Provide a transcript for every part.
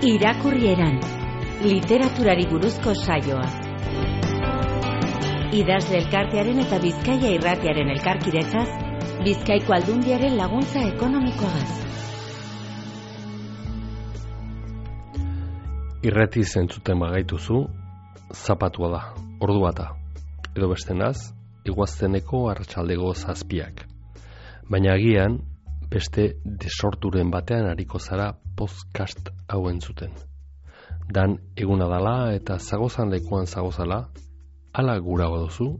Irakurrieran, literaturari buruzko saioa. Idazle elkartearen eta Bizkaia irratiaren elkarkidetzaz, Bizkaiko Aldundiaren laguntza ekonomikoagaz. Irrati zentzuten bagaituzu, zapatua da, ordua da. Edo bestenaz, iguazteneko arratsaldego 7. Baina agian, beste desorturen batean ariko zara podcast hau entzuten. Dan eguna dala eta zagozan lekuan zagozala, ala gura baduzu,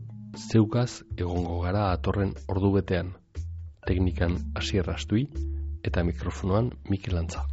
zeukaz egongo gara atorren ordu betean. Teknikan Asier Astui eta mikrofonoan Mikel Antza.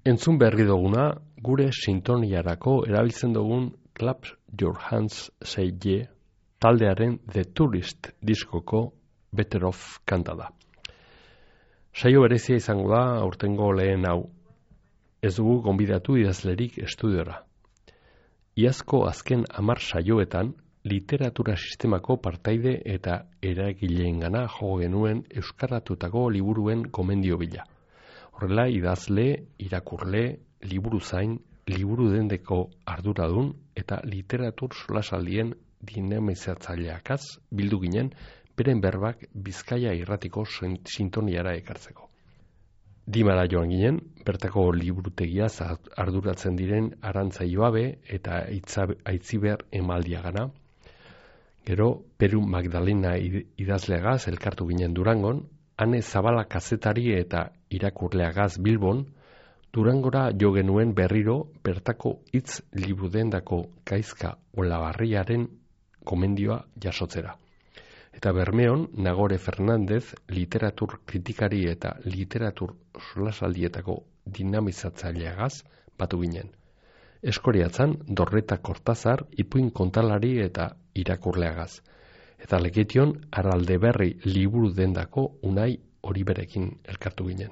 Entzun berri duguna, gure sintoniarako erabiltzen dugun Clap Your Hands Say Yeah taldearen The Tourist diskoko Better Off kanta da. Saio berezia izango da aurtengo lehen hau. Ez dugu gonbidatu idazlerik estudiora. Iazko azken 10 saioetan literatura sistemako partaide eta eragileengana jo genuen euskaratutako liburuen gomendio bila. Horrela idazle, irakurle, liburuzain, liburu dendeko arduradun eta literatur solasaldien dinamizatzaileakaz bildu ginen beren berbak Bizkaia irratiko sintoniara ekartzeko. Dimara joan ginen, bertako liburutegiaz arduratzen diren Arantza Ibabe eta Aitziber Emaldiagana. Gero, Peru Magdalena idazleagaz elkartu ginen Durangon, Ane Zabala kazetari eta irakurleagaz Bilbon, Durangora jo genuen berriro bertako hitz liburudendako Gaizka Olabarriaren gomendioa jasotzera. Eta Bermeon, Nagore Fernandez, literatur kritikari eta literatur solasaldietako dinamizatzaileagaz batu ginen. Eskoriatzan, Dorreta Kortazar, Ipuin kontalari eta irakurleagaz. Eta Leketion, Araldeberri liburu dendako Unai Oriberekin elkartu ginen.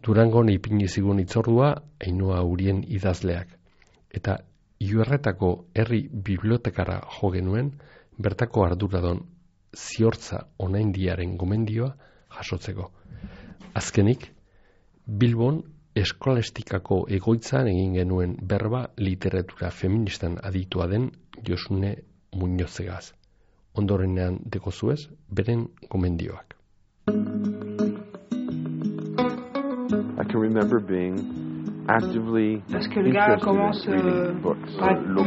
Durangon ipini zigun itzordua Ainhoa Urien idazleak. Eta Iurretako herri bibliotekara jo genuen bertako arduradon Ziortza Onaindiaren gomendioa jasotzeko. Azkenik, Bilbon eskolastikako egoitzan egin genuen berba literatura feministan aditua den Josune Muñozegaz. Ondorenean dekozuez, beren gomendioak. I can remember being actively parce que le gars commence par une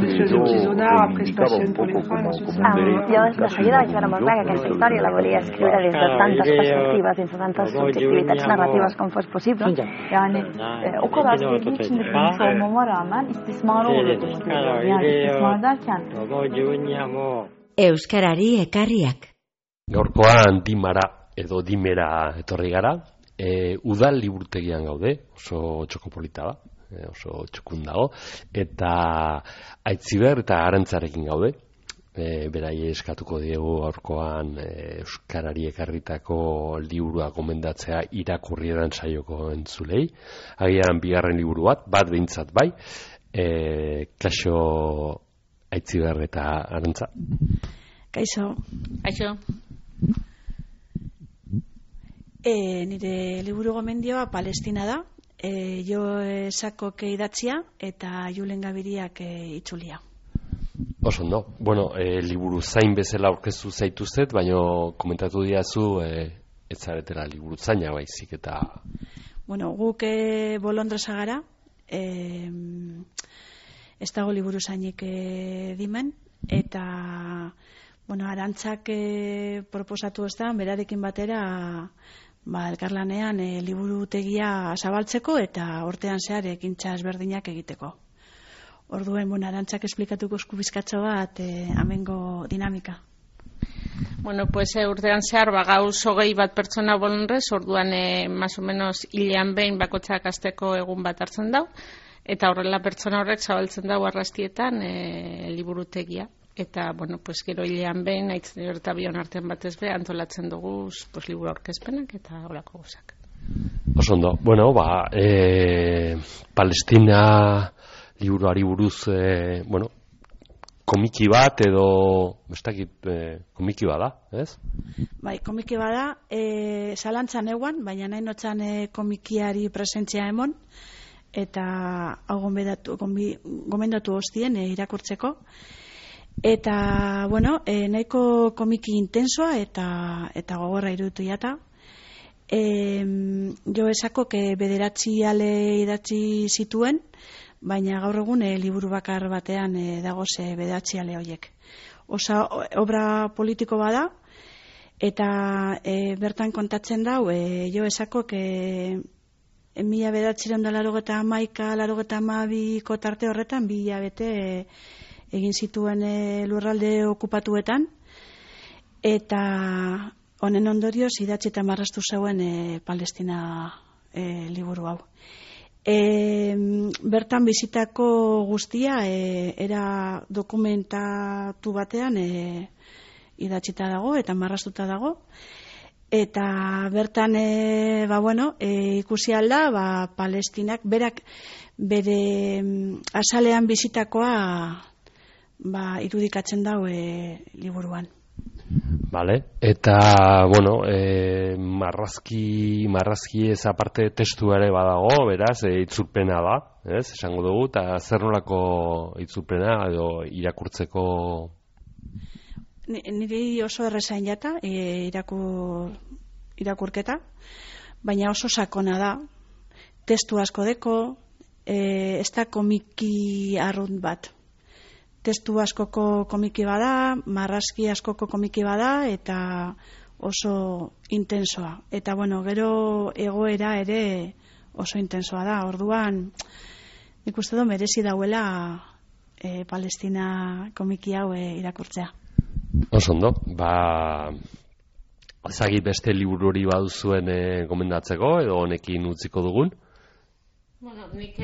espèce de petit zonard, après se passionne pour les femmes, ensuite ça Jo de seguida vaig veure molt clar que aquesta història la volia escriure des de tantes perspectives, dins de tantes subjectivitats narratives com fos possible. Yani o kadar sevdiği için de bilmiş olmama rağmen istismara uğradı istiyorlar. Yani istismar derken Euskarari ekarriak. Gaurkoan Dimara edo Dimera etorri gara. Udal liburutegian gaude, oso txokopolita da, oso txukun dago, eta Aitziber eta Arantzarekin gaude. Berai eskatuko diegu aurkoan euskarari ekarritako liburua gomendatzea irakurri edan saioko entzulei. Agian bigarren liburu bat behintzat bai. Kaixo Aitziber eta Arantza. Kaixo. Kaixo. Nire liburu gomendioa Palestina da, jo Sakok idatzia eta Julen Gabiriak itzulia. Oso ondo. Bueno, liburu zain bezala aurkeztu zaituztet, baina komentatu diazu ez zaretela liburu zaina baizik eta... Bueno, guk Bolondresa gara, ez dago liburu zainik dimen, eta... Bueno, Arantzak proposatu ez da, berarekin batera elkarlanean liburutegia zabaltzeko eta urtean zehar ekintza ezberdinak egiteko. Orduen, Arantzak esplikatuko eskubizkatxo bat amengo dinamika. Bueno, pues urtean zehar gauz 20 bat pertsona Bolondres, orduan más o menos hilean behin bakotzak asteko egun bat hartzen dau, eta horrela pertsona horrek zabaltzen dau arrastietan liburutegia. Eta, bueno, pues gero hilean behin, Aitzen eta bion artean batez be, antolatzen dugu pues, liburu aurkezpenak eta horako guzak. Oso ondo. Bueno, Palestina liburuari buruz, komiki bat edo, komiki bada, ez? Bai, komiki bada, zalantzan eguan, baina nahi notzan komikiari presentzia emon, eta hau gomendatu hostien irakurtzeko. Eta, bueno, nahiko komiki intensoa eta gogorra iruditu jata. Jo esako bederatzi ale idatzi zituen, baina gaur egun liburu bakar batean dagoze bederatzi ale horiek. Osa, obra politiko bada, eta bertan kontatzen dau, jo esako 1981-1982ko tarte horretan 2 hilabete egin zituen lurralde okupatuetan, eta honen ondorioz idatzi eta marraztu zeuen Palestina liburu hau. Bertan bizitako guztia era dokumentatu batean idatzita dago eta marraztuta dago. Eta bertan ikusi alda Palestinak berak bere azalean bizitakoa irudikatzen dau liburuan. Vale. Eta marrazki ez aparte testu ere badago, beraz, itzulpena da, ez? Esango dugu, eta zer nolako itzulpena edo irakurtzeko. Niri oso errezain jata irakurketa, baina oso sakona da, testu asko deko, ez da komiki arrunt bat. Testu askoko komiki bada, marrazki askoko komiki bada, eta oso intensoa. Eta gero egoera ere oso intensoa da. Orduan, nik uste du merezi dauela Palestina komiki hau irakurtzea. Oso ondo, ezagit beste liburu hori baduzuen gomendatzeko, edo honekin utziko dugun? Nik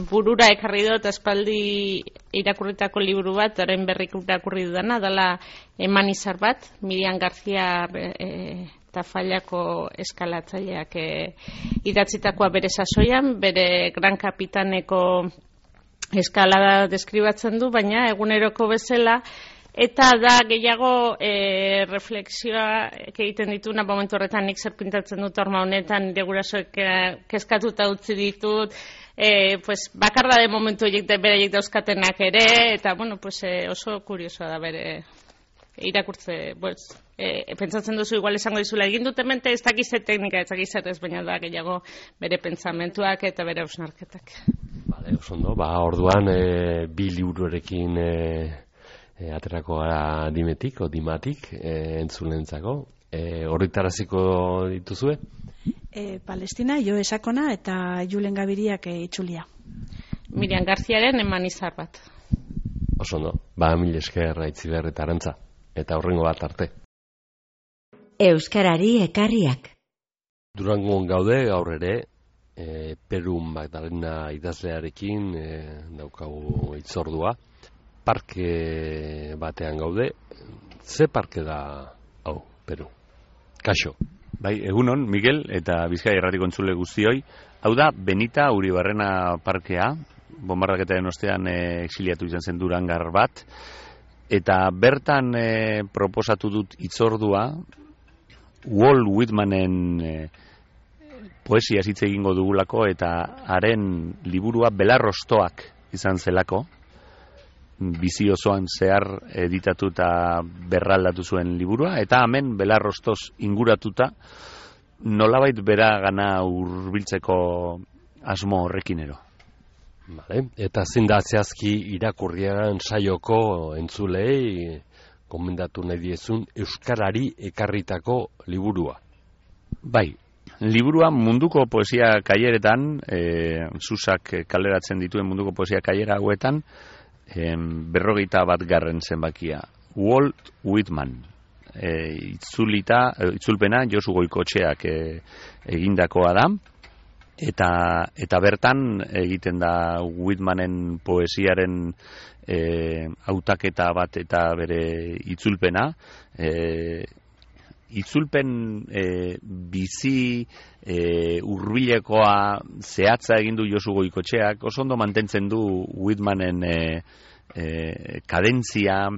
burura ekarri dut espaldi irakurritako liburu bat, orain berrik irakurri dudana, dela Eman izar bat, Miriam García Tafallako eskalatzaileak idatzitakoa bere sasoian, bere Gran Kapitaneko eskalada deskribatzen du, baina eguneroko bezala, eta da gehiago reflexioa egiten dituna momentu horretan nik zer pintatzen dut horma honetan, nire gurasoek kezkatuta utzi ditut, bakarra de momentu beraiek dauzkatenak ere, eta oso kuriosoa da bere irakurtze, pentsatzen duzu igual esango dizula egin dut hemente ez dakize teknika, ez dakize ez, baina da gehiago bere pentsamentuak eta bere hausnarketak. Bale, oso ondo, orduan bi liburuarekin aterako gara dimetik o dimatik entzulentzako. Horritaraziko dituzue? Palestina, Jo Esakona eta Julen Gabiriak itzulia. Miriam Garziaren Eman izar bat. Oso ondo, mil esker Aitziber eta Arantza. Eta horrengo bat arte. Euskarari ekarriak. Durangon gaude gaur ere, Peru Magdalena idazlearekin daukagu hitzordua. Parke batean gaude. Ze parke da hau, Peru? Kaixo. Bai, egunon, Miguel eta Bizkaia Irratiko entzule guztioi. Hau da Benita Uribarrena parkea, bonbardaketaren ostean exiliatu izan zen durangar bat, eta bertan proposatu dut hitzordua Walt Whitmanen poesia hitz egingo dugulako, eta haren liburua Belarrostoak izan zelako, bizi osoan zehar editatu eta berraldatu zuen liburua, eta hemen Belarrostoz inguratuta nolabait bera gana hurbiltzeko asmo horrekin ero. Vale. Eta zein da zehazki irakurrian saioko entzulei gomendatu nahi diezun euskarari ekarritako liburua? Bai, liburua munduko poesia kaileretan, Susak kaleratzen dituen munduko poesia kailera hauetan, 41. zenbakia. Walt Whitman. Itzulpena Josu Goikotxeak egindakoa da, eta bertan egiten da Whitmanen poesiaren hautaketa bat eta bere itzulpena. Itzulpen bizi hurbilekoa zehatza egin du Josu Goikotxeak, oso ondo mantentzen du Whitmanen kadentzia,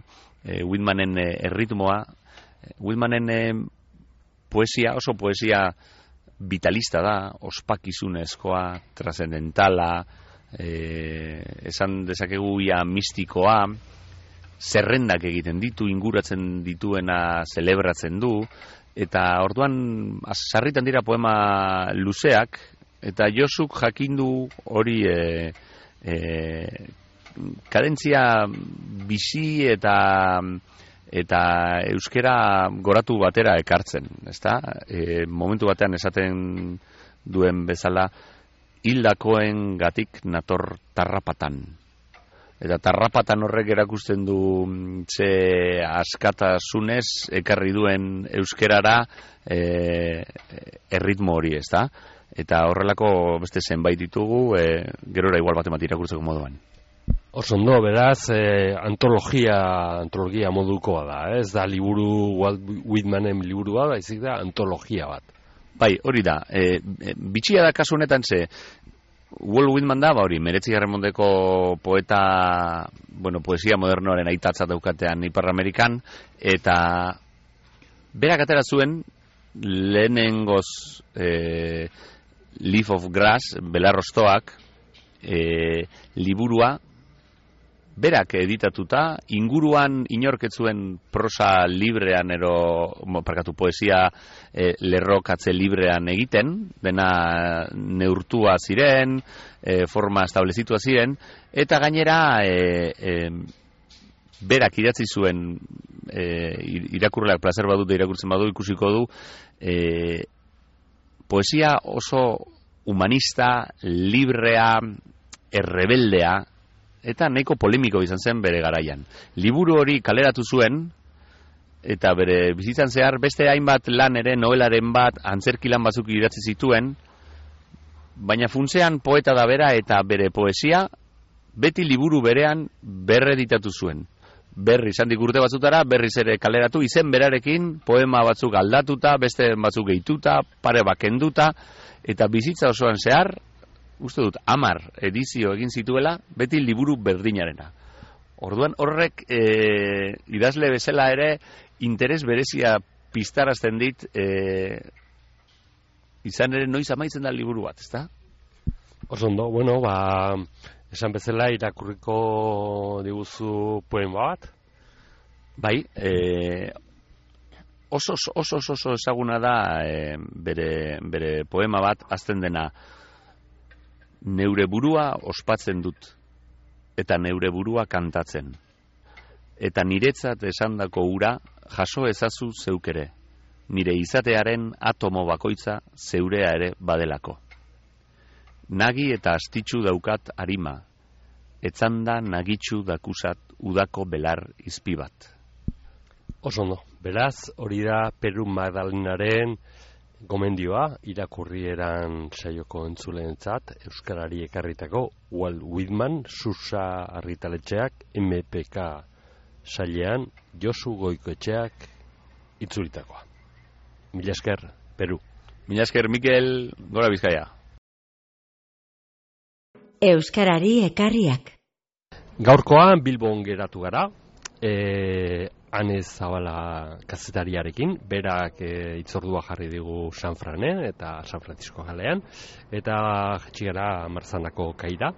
Whitmanen erritmoa. Whitmanen poesia, oso poesia vitalista da, ospakizunezkoa, trascendentala, esan dezakegu ia mistikoa, zerrendak egiten ditu, inguratzen dituena zelebratzen du, eta orduan sarritan dira poema luzeak, eta Josuk jakindu hori kadentzia bizi eta euskera goratu batera ekartzen, ezta? Momentu batean esaten duen bezala, hildakoen gatik nator tarrapatan. Eta tarrapatan horrek erakusten du ze askatasunez ekarri duen euskerara erritmo hori, ezta? eta horrelako beste zenbait ditugu, gerora igual bat irakurtzeko moduan. Oso ondo, beraz, antologia modukoa da, ez da liburu, Walt Whitmanen liburua, baizik da antologia bat. Bai, hori da, bitxia da kasu honetan Walt Whitman da, hori, 19. mendeko poeta, poesia modernoaren aitatza daukatean Ipar Amerikan, eta berak atera zuen lehenengoz Leaf of Grass, belarroztoak, liburua, berak editatuta, inguruan inorketzuen prosa librean poesia lerrokatze librean egiten, dena neurtua ziren, forma establezitua ziren, eta gainera berak idatzi zuen irakurleak plazer badut irakurtzen badu ikusiko du poesia oso humanista, librea, errebeldea, eta nahiko polemiko izan zen bere garaian. Liburu hori kaleratu zuen, eta bere bizitzan zehar beste hainbat lan ere, novelaren bat, antzerki lan batzuk idatzi zituen, baina funtzean poeta da bera eta bere poesia beti liburu berean berreditatu zuen. Berriz handik urte batzutara, berriz ere kaleratu, izen berarekin, poema batzuk aldatuta, beste batzuk gehituta, pare bakenduta, eta bizitza osoan zehar, uste dut, 10 edizio egin zituela, beti liburu berdinarena. Orduan horrek idazle bezala ere interes berezia piztarazten dit izan ere noiz amaitzen da liburu bat, ezta? Oso ondo, esan bezala irakurriko diguzu poema bat? Bai, oso ezaguna da bere poema bat, azten dena, neure burua ospatzen dut, eta neure burua kantatzen. Eta niretzat esandako ura jaso ezazu zeukere, nire izatearen atomo bakoitza zeurea ere badelako. Nagi eta astitsu daukat arima, etzanda nagitsu dakusat udako belar izpi bat. Oso ondo, beraz, hori da Peru Magdalenaren gomendioa, irakurrieran saioko entzuleentzat, euskarari ekarritako Walt Whitman, Susa argitaletxeak, MPK sailean, Josu Goikoetxeak itzulitakoa. Mila esker, Peru. Mila esker, Mikel, gora Bizkaia. Euskarari ekarriak. Gaurkoan Bilbon geratu gara, Ane Zabala kazetariarekin, berak itzordua jarri digu San Franen eta San Francisco galean, eta jetxigara Marzanako kaira.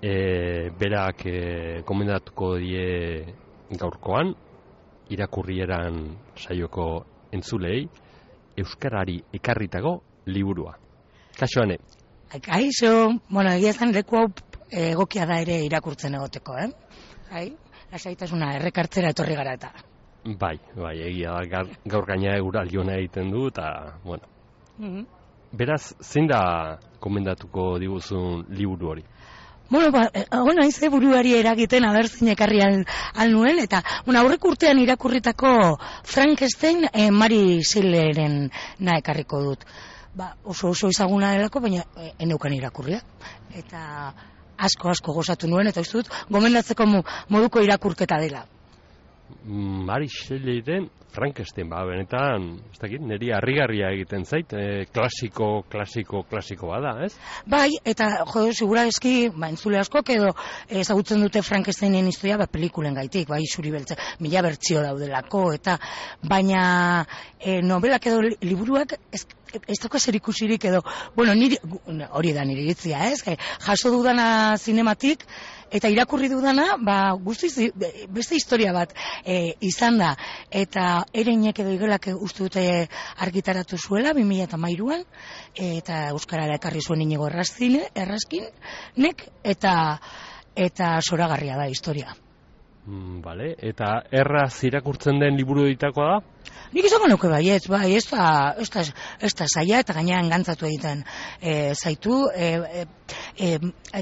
Berak komendatuko die gaurkoan, irakurrieran saioko entzulei, euskarari ekarritako liburua. Kaixo, Ane? Kaixo, egia zen leku hau egokia da ere irakurtzen egoteko, lasaitasuna errekartzera etorri gara eta. Bai, egia da, gaur gaina euraliona egiten du, eta, Beraz, zein da komendatuko diguzun liburu hori? Haize buruari eragiten abertzin ekarri nuen, eta aurrek urtean irakurritako Frankenstein Mary Shelleyren ekarriko dut. Oso ezaguna delako, baina eneukan irakurria. Eta asko gozatu nuen, eta uste dut, gomendatzeko moduko irakurketa dela. Mary Shelleyren Frankenstein, benetan, ez dakit, niri harrigarria egiten zait, klasiko bada, ez? Bai, eta segura eski, entzule askok edo ezagutzen dute Frankensteinen historia, pelikulen gaitik, zuri beltza, 1000 bertsio daudelako, eta baina novelak edo liburuak ez dauka zer ikusirik edo, hori da nire iritzia, ez? Jaso dudana zinematik, eta irakurri dudana, guztiz beste historia bat izan da, eta ereinek edo igelak uste dute argitaratu zuela 2013an, eta euskarara ekarri zuen Inigo Erraskinek, eta zoragarria da historia. Bale, eta erraz irakurtzen den liburu editakoa da? Nik izango nuke baietz, bai, ez da zaila eta gainean gantzatu egiten zaitu.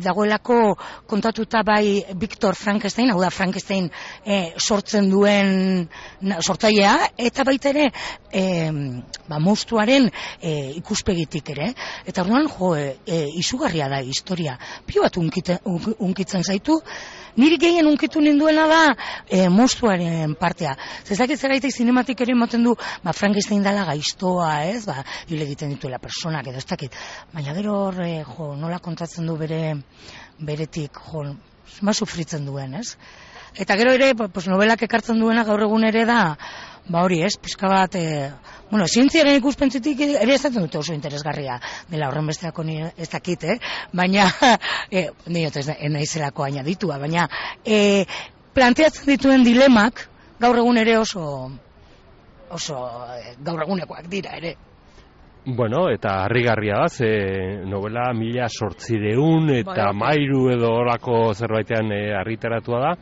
Dagoelako kontatuta bai Victor Frankenstein, hau da Frankenstein sortzen duen sortzailea, eta baita ere monstruaren ikuspegitik ere. Eta orduan, izugarria da historia. Pio bat unkitzen zaitu, niri gehien unkitu ninduena da monstruaren partea. Zezakit zeraitek zinematik ere ematen du, Frankenstein dala gaiztoa, ez, hile egiten dituela personak, edo ez dakit. Baina gero hor, nola kontatzen du beretik, sufritzen duen, ez? Eta gero ere, novelak ekartzen duena gaur egun ere da, hori, ez, pixka bat, zientziaren ikuspentzitik ere ezaten dute oso interesgarria dela horren besteako ez dakit, baina, niot ez naizelako añaditua, baina, planteatzen dituen dilemak gaur egun ere oso gaur egunekoak dira ere. Bueno, eta harrigarria da, novela 1800 eta mairu edo horako zerbaitean argitaratua da,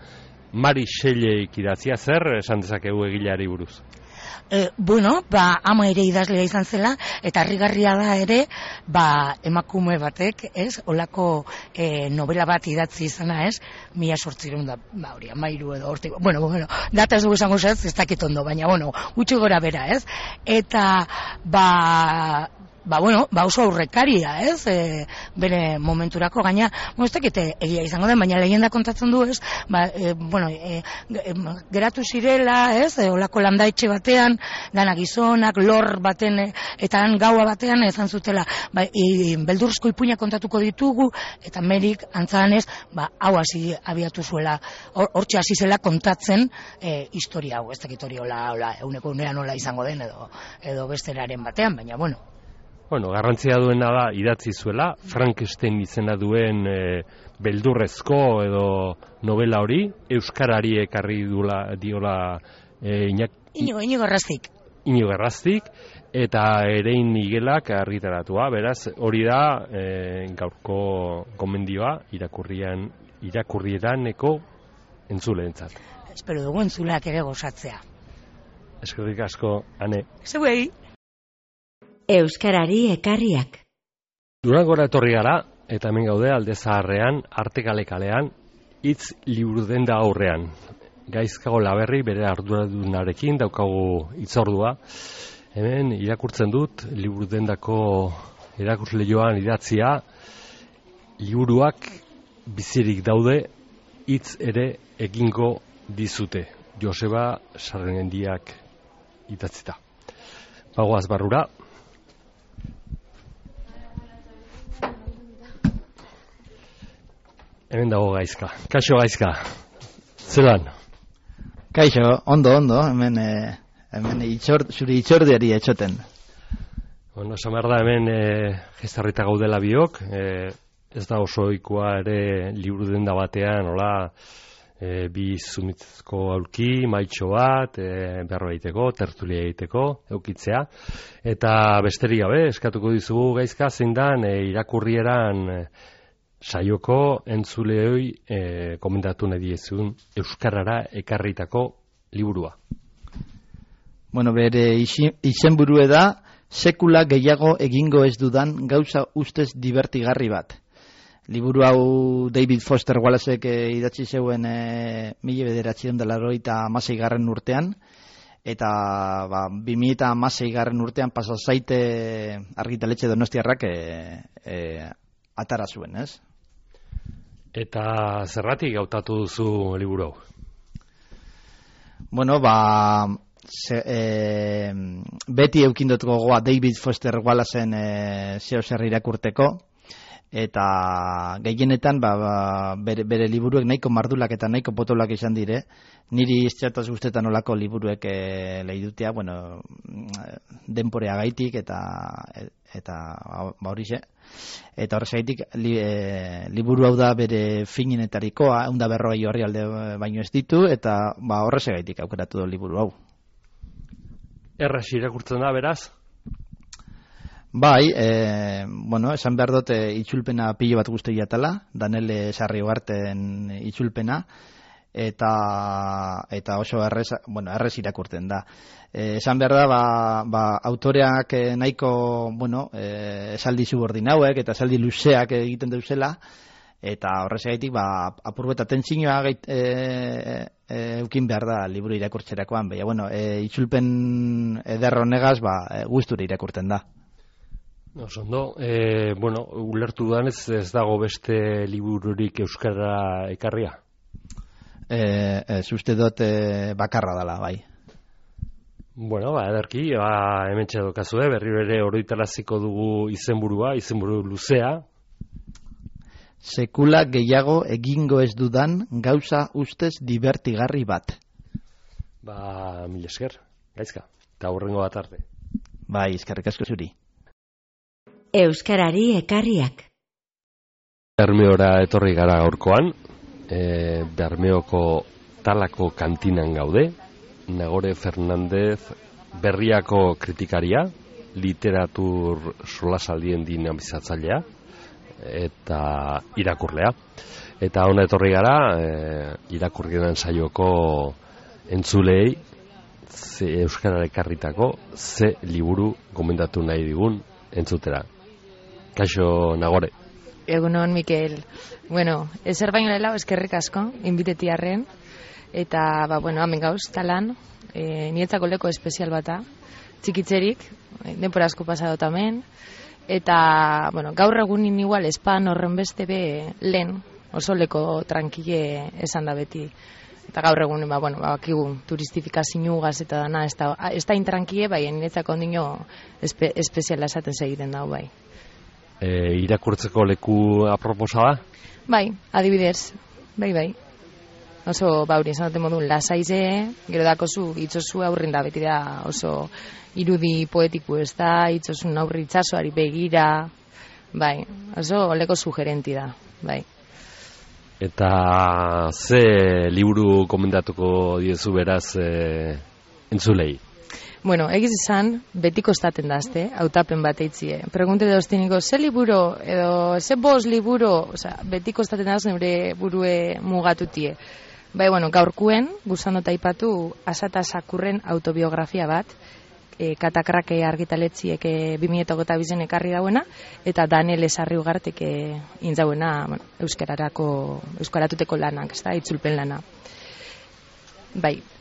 Mari Shelleyk idatzia, zer esan dezakegu egileari buruz? Ama ere idazlea izan zela, eta harrigarria da ere, emakume batek, ez, olako novela bat idatzi izana, ez, 1800 da, amairu edo hortik, data ez dugu esango ez dakit ondo, baina, gutxi gora bera, ez, eta, oso aurrekaria, ez, bere momenturako gaina, ez dakite egia izango den, baina lehenda kontatzen du, ez, geratu zirela, ez, olako landaetxe batean, dana gizonak, lor baten, eta gaua batean, ezan zutela, beldurrezko ipuina kontatuko ditugu, eta Merik antzadanez, hau hasi abiatu zuela, hortxe hasi zela kontatzen historia hau, ez dakit hori euneko unean nola izango den, edo besteraren batean, baina, garrantzia duena da idatzi zuela, Frankenstein izena duen beldurrezko edo novela hori, euskarari ekarri diola Inigo Erraztik. Inigo Erraztik, eta Erein Miguelak argitaratua, beraz, hori da gaurko gomendioa irakurrieraneko entzuleentzat. Espero dugu entzuleak ere gozatzea. Eskerrik asko, Ane. Zeuei. Euskarari ekarriak. Durangora etorri gara, eta hemen gaude Alde Zaharrean, Artekale kalean, hitz liburudenda aurrean. Gaizkago Laberri bere arduradunarekin daukagu hitzordua. Hemen irakurtzen dut liburudendako erakusleihoan idatzia, liburuak bizirik daude, hitz ere egingo dizute. Joseba Sarrendiak idatzita. Bagoaz barrura. Hemen dago Gaizka. Kaixo Gaizka. Zelan? Kaixo, ondo, hemen zure itxordiari etxoten. Esan behar da hemen gestarrita gaudela biok, ez da oso ohikoa ere liburu denda batean, bi zumitzko aulki, maitxo bat, berro egiteko, tertulia egiteko, eukitzea. Eta besterik gabe, eskatuko dizugu Gaizka, zein dan irakurrieran saioko entzuleoi komendatu nahi diezun euskarara ekarritako liburua. Bere izenburue da, sekula gehiago egingo ez dudan gauza ustez divertigarri bat. Liburu hau David Foster Wallacek idatzi zeuen 1986 urtean, eta 2016 urtean Pasazaite argitaletxe Donostiarrak atara zuen, ez? Eta zerratik hautatu duzu liburu hau? Beti eukindot gogoa David Foster Wallacen zeo zer irakurteko, eta gehienetan bere liburuek nahiko mardulak eta nahiko potolak izan dire. Niri iztxataz guztetan olako liburuek lehidutea, denporea gaitik eta horixe. Eta horrezaitik liburu hau da bere finenetarikoa, 140 orrialde baino ez ditu, eta horrezaitik aukeratu du liburu hau. Erraz irakurtzen da, beraz? Bai, esan behar dut itzulpena pilo bat guzti jatala, Daniel Sarriogarten itzulpena, eta oso errez irakurtzen da. Esan behar da, autoreak nahiko, esaldi subordinauek eta esaldi luzeak egiten dauzela, eta horrezagaitik apurbo eta tentzinoa eukin behar da liburu irakurtzerakoan, baina, itzulpen eder honegaz, gustura irakurtzen da. Osondo, ulertu dudanez ez dago beste libururik euskara ekarria? Ez uste dut bakarra dela, bai. Ederki, hemen txedokazue, berri bere oroitaraziko dugu izenburu luzea. Sekula gehiago egingo ez dudan gauza ustez divertigarri bat. Mil esker, gaizka, eta hurrengo bat arte. Eskerrik asko zuri. Euskarari ekarriak. Bermeora etorri gara gaurkoan, Bermeoko Talako kantinan gaude, Nagore Fernandez Berriako kritikaria, literatur solasaldien dinamizatzailea eta irakurlea. Eta hona etorri gara, irakurgenen saioko entzulei Euskarara ekarritako ze liburu gomendatu nahi digun entzutera. Kaixo, Nagore. Egunon, Mikel. Ezer baino lehela, eskerrik asko, inbitetiarren. Eta, hemen gauz, talan, nietzako leko espezial bata, txikitzerik, denpora asko pasado tamen. Eta, gaur egunin igual, espan horren beste be lehen, oso leko tranquile esan da beti. Eta gaur egunin, bakigu, turistifikaziougaz eta dana, ez da intranquile, nietzako ondino espeziala esaten segiten dago, bai. Irakurtzeko leku aproposa da? Bai, adibidez, bai. Oso, hori esan dute modun, lasaize, gero dakozu, itzozu aurrin da, beti da oso irudi poetiku ez da, itzozun aurri itzazoari begira, bai, oso leko sugerenti da, bai. Eta ze liburu komendatuko diezu beraz entzulei? Egiz izan, betiko estaten dazte, hautapen bat eitzie. Pregunte de ostiniko, ze liburu, edo, ze bost liburu, betiko estaten daz neure burue mugatutie. Gaurkuen, guzan dut aipatu, Asata Sakurren autobiografia bat, Katakrake argitaletziek 2022 ekarri dauena, eta Daniel Esarri Ugartek intzauena euskaratuteko lanak, itzulpen lana.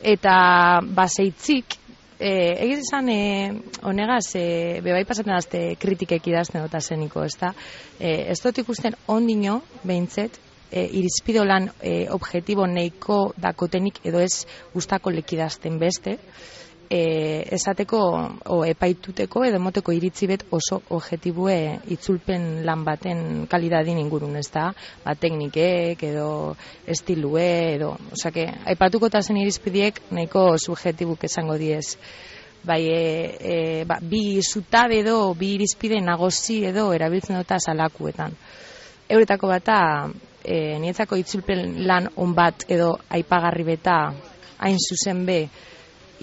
Eta baseitzik, egiz izan, honegaz, bebai pasatzen dazte kritikek idazten dut azeniko, ez dut ikusten ondino, behintzet, irizpide lan objektibo neiko dakotenik edo ez gustako lekidazten beste, esateko epaituteko edo moteko iritzi bet oso objektibue itzulpen lan baten kalidadin ingurun, ez da, teknikek edo estilue edo, aipatuko eta zen irizpideek nahiko subjektibuk esango diez. Bi zutabe edo, bi irizpide nagozi edo erabiltzen dut salakuetan. Euretako bata, nietzako itzulpen lan on bat edo aipagarri beta hain zuzen be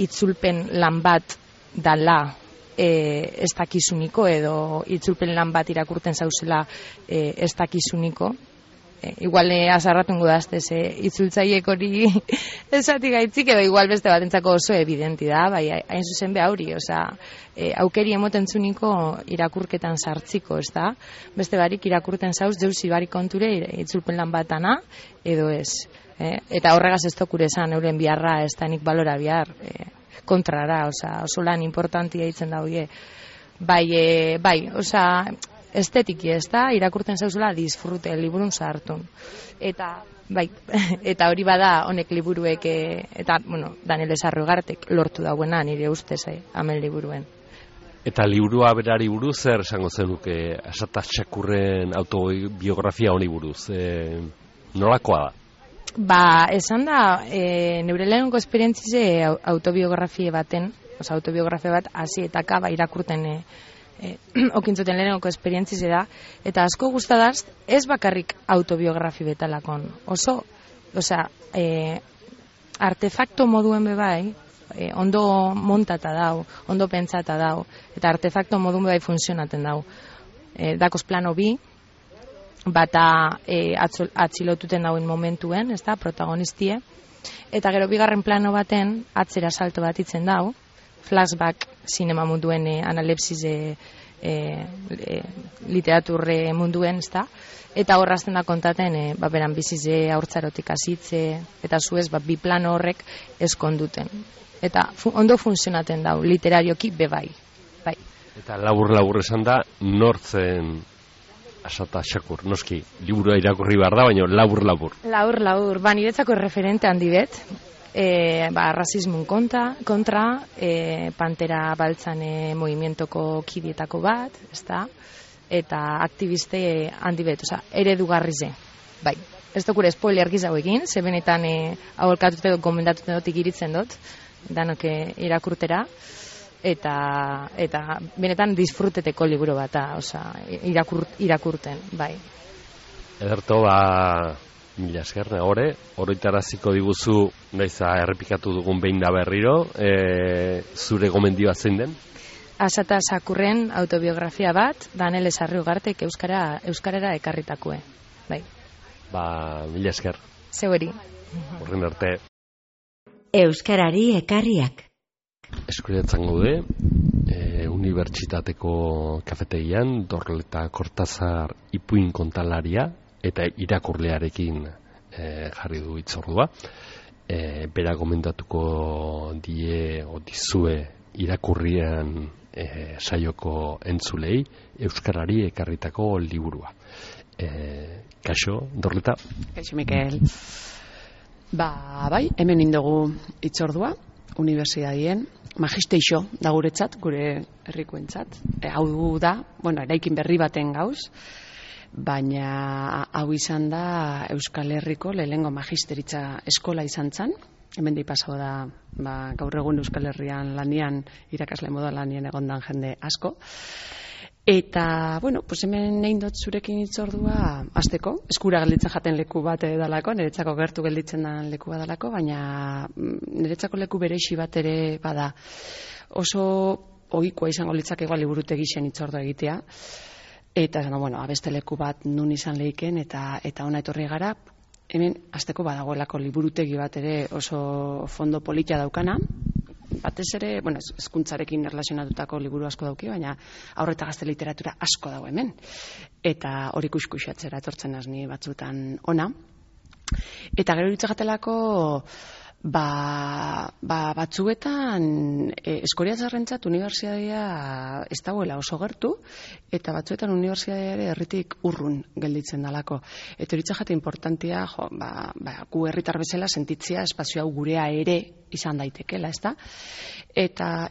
itzulpen lan bat dala ez dakizuniko edo itzulpen lan bat irakurten zauzela ez dakizuniko. Igual azarratungo dazte itzultzaiek hori esati gaitzik edo igual beste batentzako oso evidenti da, hain zuzen be hauri, aukeri emoten zuniko irakurketan sartziko, ez da? Beste barik irakurten zauz, jauzi barik konture itzulpen lan batana edo ez. Eta horregaz ez tokure esan euren biharra, ez da nik balora bihar kontrara, oso lan importantia ditzen da hoie. Estetiki, ez da, irakurten zauzula disfrute, liburun zahartun. Eta hori bada honek liburuek, eta, Daniel Esarri Ugartek lortu dauena nire ustez, amen liburuen. Eta liburua berari buruz, zer esango zenuke Asata Sakurren autobiografia honi buruz? Nolakoa da? Esan da, neure lehenengo esperientzize autobiografia baten, autobiografia bat, hasi eta kaba irakurten okintzuten lehenengo esperientzize da, eta asko gustadaz, ez bakarrik autobiografi betalakon. Artefakto moduen bebai, ondo montata dau, ondo pentsata dau, eta artefakto moduen bebai funtzionaten dau. Dakoz plano bi, bata atxilotuten dauen momentuen, ez da, protagonistie, eta gero bigarren plano baten atzera salto bat itzen dau, flashback sinema munduen analepsis literaturre munduen, ez da, eta horrazten da kontaten, beran bizize haurtzarotik hasitze, eta zuez, bi plano horrek eskonduten. Eta ondo funtzionaten dau, literarioki bebai. Bai. Eta labur esan da, nortzen asata xakur, noski, liburua irakurri behar da, baina labur. Labur, niretzako referente handi bet, rasismun kontra, Pantera Baltzan movimientoko kidietako bat, ezta? Eta aktiviste handi bet, eredugarri ze. Bai, ez dokure spoiler gizau egin, ze benetan aholkatute dut, gomendatute dut ikiritzen dut, danok irakurtera, eta benetan disfruteteko liburu bat, irakurten, bai. Ederto, mila esker, oroitaraziko diguzu, naiza errepikatu dugun behin da berriro, zure gomendioa zein den? Asata Sakurren autobiografia bat, Danele Sarri-Ugartek euskarara ekarritakue, bai. Mila esker. Zeueri. Horren arte. Euskarari ekarriak. Eskuretzen gaude, unibertsitateko kafetegian, Dorleta Kortazar ipuin kontalaria eta irakurlearekin jarri du hitzordua. Bera gomendatuko dizue irakurrian saioko entzulei euskarari ekarritako liburua. Kaixo, Dorleta? Kaixo, Mikel. Bai, hemen indogu hitzordua, unibertsitatien, magisteixo da guretzat, gure herrikoentzat. Hau da, eraikin berri baten gauz, baina hau izan da Euskal Herriko lehenengo magisteritza eskola izan zen. Hemen pasau da, gaur egun Euskal Herrian lanian, irakasle moda lanian egondan jende asko. Eta, hemen nein dut zurekin hitzordua azteko, eskura gelditzen jaten leku bat edalako, niretzako gertu gelditzen den leku bat edalako, baina niretzako leku berexi bat ere bada. Oso ohikoa izango litzake igual liburutegi zen hitzordua egitea, eta abeste leku bat nun izan lehiken, eta ona etorri gara, hemen azteko badagoelako liburutegi bat ere oso fondo politia daukana, batez ere, hezkuntzarekin erlazionatutako liburu asko dauki, baina haur eta gazte literatura asko dago hemen. Eta hori kuskusatzera etortzen azni batzutan ona. Eta gero ditzagatelako, batzuetan Eskoriatzarrentzat unibertsitatea ez dagoela oso gertu, eta batzuetan unibertsitatea ere herritik urrun gelditzen dalako. Eta hori jate importantia, gu herritar bezala sentitzea espazio hau gurea ere izan daitekela, ezta? Eta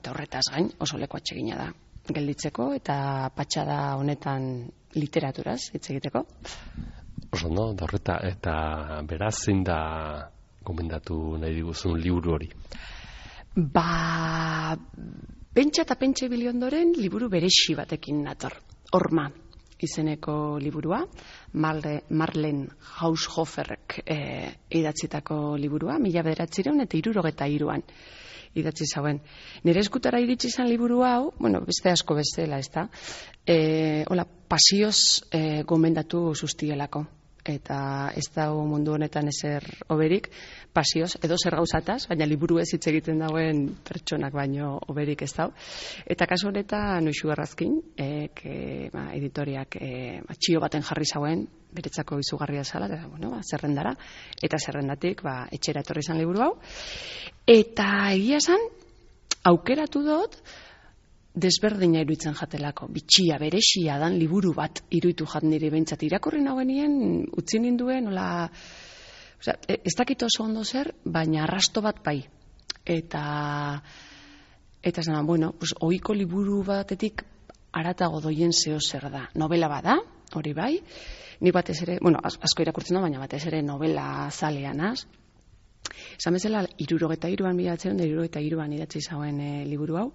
horretaz gain oso leku atsegina da gelditzeko, eta patxada honetan literaturaz hitz egiteko. Oso, Dorleta, eta beraz zein da gomendatu nahi diguzun liburu hori? Pentsa eta pentsa ibili ondoren liburu berexi batekin nator. Horma izeneko liburua, Marlen Haushoferrek idatzitako liburua, 1973an idatzi zauen. Nire eskutara iritsi izan liburu hau, beste asko bestela, ez da, pasioz gomendatu sustielako. Eta ez dago mundu honetan ezer oberik, pasioz, edo zer gauzataz, baina liburu ez hitz egiten dauen pertsonak baino oberik ez dago. Eta kasu honetan, Noixu Errazkin, editoriak txio baten jarri zauen, beretzako izugarria zala, zerrendara, eta zerrendatik etxera etorri izan liburu hau. Eta egia esan, aukeratu dut, desberdina iruditzen jatelako, bitxia, berexia dan liburu bat iruditu jat nire behintzat irakurri nagoenien, utzi ninduen, ez dakit oso ondo zer, baina arrasto bat bai. Eta zena, ohiko liburu batetik haratago doien zeo zer da. Novela bada, hori bai, nik batez ere, asko irakurtzen da, baina batez ere novela zaleanaz. Esan bezala, 1973an idatzi zauen liburu hau,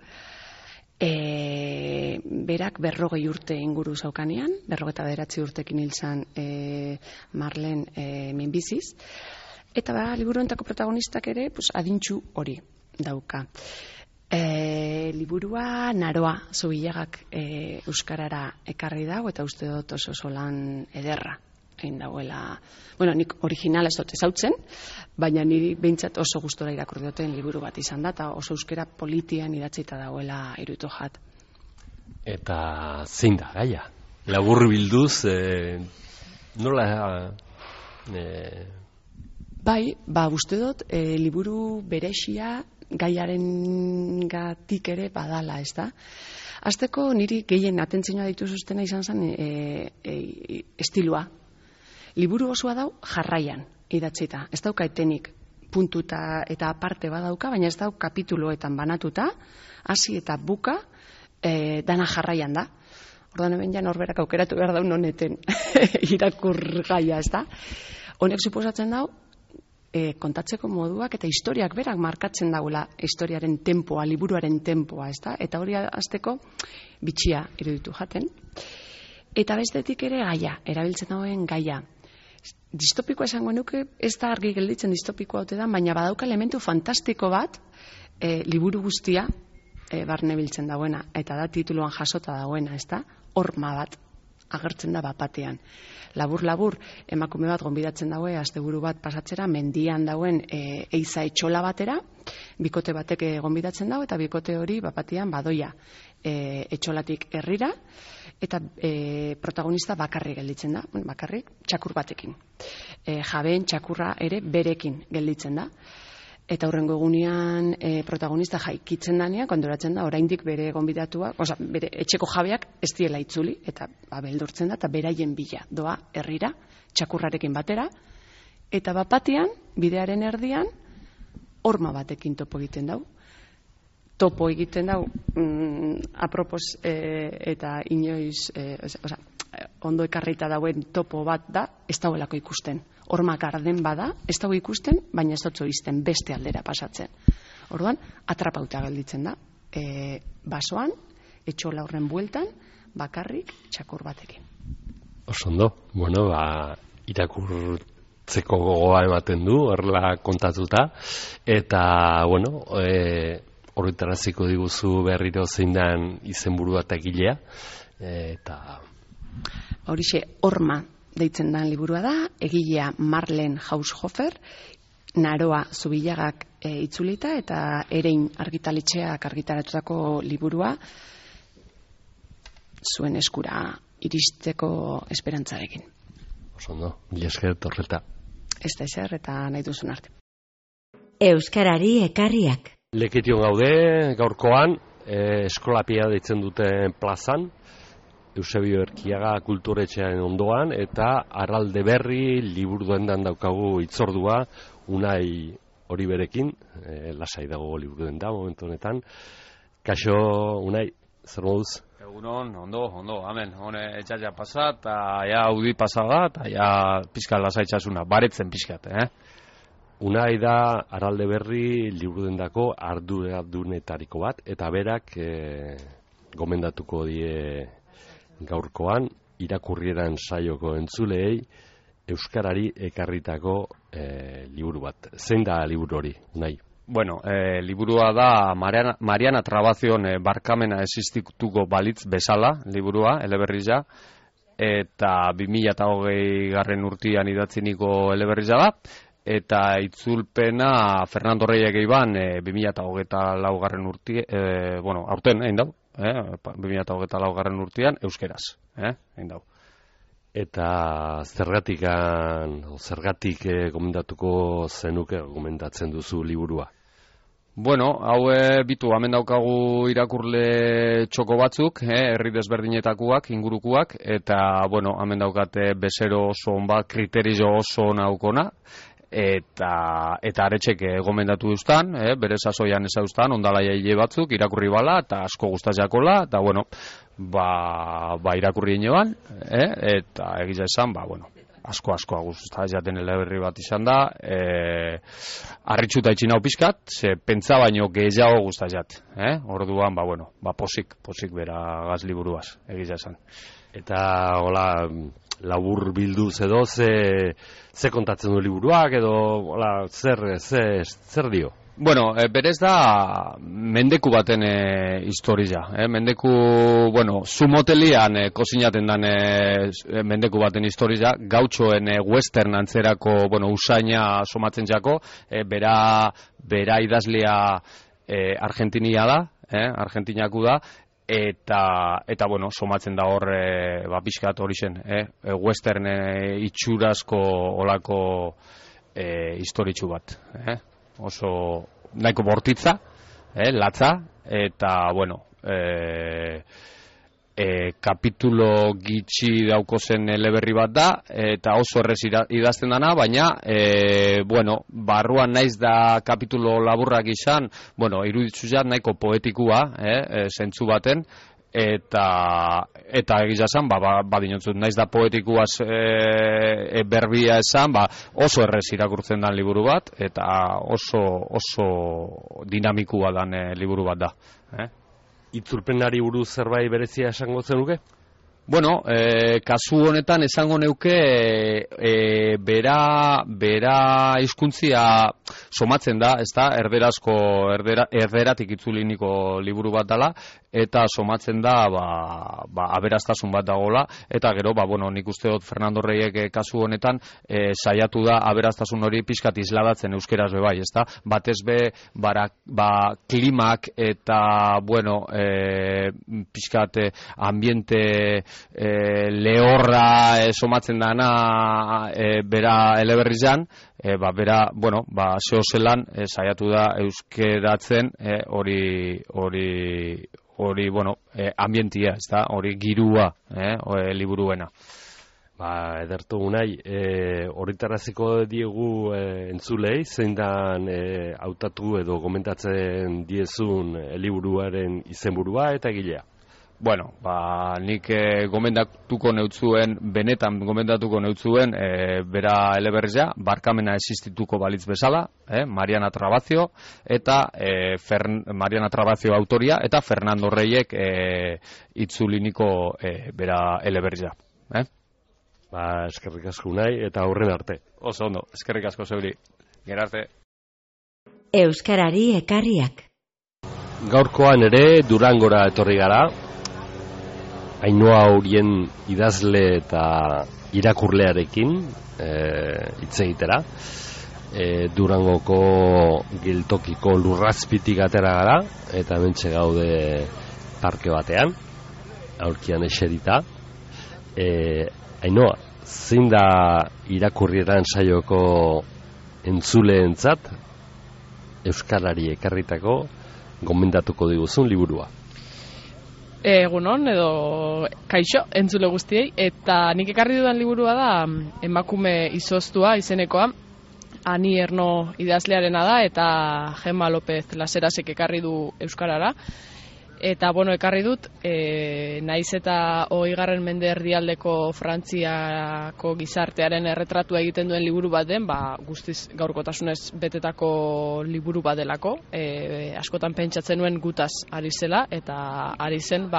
berak 40 urte inguru zaukanean, 49 urtekin hil zan Marlen minbiziz, eta liburu hontako protagonistak ere adintxu hori dauka. Liburua Naroa Zubilagak euskarara ekarri dago, eta uste dut oso lan ederra egin dagoela. Bueno, nik originala ez dut ezautzen, baina niri behintzat oso gustora irakurri duten liburu bat izan da, eta oso euskara politian idatzita dagoela iruditu jat. Eta zein da gaia? Labur bilduz, nola... Bai, uste dut, liburu berexia gaiaren gatik ere badala, ez da? Azteko niri gehien atentzioa ditu zuztena izan zen estilua. Liburu osoa dau jarraian idatzita. Ez dauka etenik puntuta eta aparte badauka, baina ez dau kapituloetan banatuta, hasi eta buka, dana jarraian da. Ordan hemen ja norberak aukeratu behar daun honeten irakur gaia, ez da? Honek suposatzen dau, kontatzeko moduak eta historiak berak markatzen dagoela historiaren tempoa, liburuaren tempoa, ez da? Eta hori azteko bitxia iruditu jaten. Eta bestetik ere gaia, erabiltzen dagoen gaia. Distopikoa esango nuke, ez da argi gelditzen distopikoa ote da, baina badauka elementu fantastiko bat liburu guztia barne biltzen dagoena, eta da tituluan jasota dagoena, ez da? Horma bat agertzen da bapatean. Labur, emakume bat gonbidatzen daue, asteburu bat pasatzera, mendian dauen eiza etxola batera, bikote batek gonbidatzen dago, eta bikote hori bapatean badoia etxolatik herrira, eta protagonista bakarrik gelditzen da, bakarrik txakur batekin. Jabeen txakurra ere berekin gelditzen da. Eta hurrengo egunean protagonista jaikitzen danean, kondoratzen da, oraindik bere gonbidatua, bere etxeko jabeak ez diela itzuli, eta beldurtzen da, eta beraien bila doa herrira, txakurrarekin batera, eta bapatean, bidearen erdian, horma batekin topo egiten dau. Topo egiten dau, apropos eta inoiz, ondo ekarrita dauen topo bat da, ez dauelako ikusten. Horma garden bada, ez dago ikusten, baina ez dutzo izten beste aldera pasatzen. Orduan, atrapauta gelditzen da. Basoan, etxola horren bueltan, bakarrik txakur batekin. Osondo, bueno, irakurtzeko gogoa ematen du, horrela kontatuta, eta, bueno, horretaraziko diguzu berriro zein dan izenburua eta egilea, eta... Horixe, horma deitzen dan liburua da, egilea Marlene Haushofer, Naroa Zubilagak itzulita, eta Erein argitaletxeak argitaratutako liburua zuen eskura iristeko esperantzarekin. Osondo, mila esker torreta. Ez da ezer, eta nahi duzun arte. Euskarari ekarriak. Leketion gaude, gaurkoan, eskolapia deitzen duten plazan, Eusebio Erkiaga kulturetxearen ondoan, eta Arralde Berri liburu dendan daukagu itzordua, Unai hori berekin, lasai dago liburu denda momentu honetan. Kaixo, Unai, zer moduz? Egunon, ondo, amen. Hone etxatxa pasat, eta ja audi pasada, eta ja pizka lasaitxasuna, baretzen pizkat, Unai da Arralde Berri liburu dendako arduradunetariko bat, eta berak gomendatuko die gaurkoan irakurrieran saioko entzuleei euskarari ekarritako liburu bat. Zein da liburu hori, Unai? Bueno, liburua da Mariana Trabazion barkamena existituko balitz bezala liburua, eleberriza, eta 2020 garren urtean idatziniko eleberriza da, eta itzulpena Fernando Reyek eiban 2024 garren urtean, aurten egin dau, 2024 garren urtean euskeraz, egin dau. Eta zergatik gomendatuko zenuke gomendatzen duzu liburua? Bueno, hau bitu, hemen daukagu irakurle txoko batzuk, herri desberdinetakoak, ingurukuak, eta, bueno, hemen daukate bezero oso on bat, kriterizo oso naukona, eta aretxek gomendatu duztan, bere sasoian ezauztan, ondalaia hile batzuk, irakurri bala, eta asko guztatxakola, eta, bueno, irakurri inoan, eta egiza esan, asko guztatxaten eleberri bat izan da, arritxuta itxin hau pizkat, ze pentsa baino gehiago guztatxat, orduan, posik bera gaz liburuaz, egiza esan. Eta, hola, labur bilduz edo, ze kontatzen du liburuak, edo, hola, zer dio? Bueno, berez da mendeku baten historia. Mendeku, bueno, zumotelian kozinaten dan mendeku baten historia, gautxoen western antzerako, bueno, usaina somatzen jako, bera idazlea argentinia da, argentinaku da, eta bueno, somatzen da hor pixkat hori zen, western itxurazko olako historitxu bat, oso nahiko bortitza, latza, eta bueno, kapitulo gitxi dauko zen eleberri bat da, eta oso errez idazten dana, baina bueno, barruan naiz da kapitulo laburrak izan, bueno, iruditzu jat nahiko poetikua, zentzu baten, eta egia esan, badinotzut, naiz da poetikuaz berbia esan, oso errez irakurtzen dan liburu bat, eta oso dinamikua dan liburu bat da. Itzulpenari buruz zerbait berezia esango zenuke? Bueno, kasu honetan esango neuke bera hizkuntzia somatzen da, ez da, erderatik itzuliniko liburu bat dela, eta somatzen da aberastasun bat dagoela, eta gero, bueno, nik uste dut Fernando Reyek kasu honetan saiatu da aberastasun hori pixkat isladatzen euskeraz bai, ez da, batez be, klimak eta, bueno, pixkat ambiente lehorra somatzen dana bera eleberrizan, bera, bueno, zeo zelan saiatu da euskeratzen hori, bueno, ambientia, ez da, hori girua, liburuena. Edertu unai, horretaraziko diegu entzulei, zein dan hautatu edo komentatzen diezun liburuaren izenburua eta egilea? Bueno, nik benetan gomendatuko neutzuen bera eleberria, barkamena existituko balitz bezala, Mariana Trabazio, eta Mariana Trabazio autoria, eta Fernando Reyek itzuliniko bera eleberria. Eskerrik asko nahi, eta aurren arte. Oso ondo, eskerrik asko zeuri. Gerarte. Euskarari ekarriak. Gaurkoan ere Durangora etorri gara, Ainhoa Urien idazle eta irakurlearekin hitz egitera. Durangoko geltokiko lurrazpitik atera gara, eta hementxe gaude parke batean, aurkian eserita. Ainhoa, zein da irakurrieran saioko entzuleentzat euskarari ekarritako gomendatuko diguzun liburua? Egunon edo kaixo entzule guztiei, eta nik ekarri dudan liburua da emakume izoztua izenekoa, Ani Erno idazlearena da, eta Gemma López Laserasek ekarri du euskarara. Eta, bueno, ekarri dut, naiz eta 20. mende erdialdeko Frantziako gizartearen erretratua egiten duen liburu bat den, guztiz gaurkotasunez betetako liburu bat delako. Askotan pentsatzen nuen gutaz ari zela, eta ari zen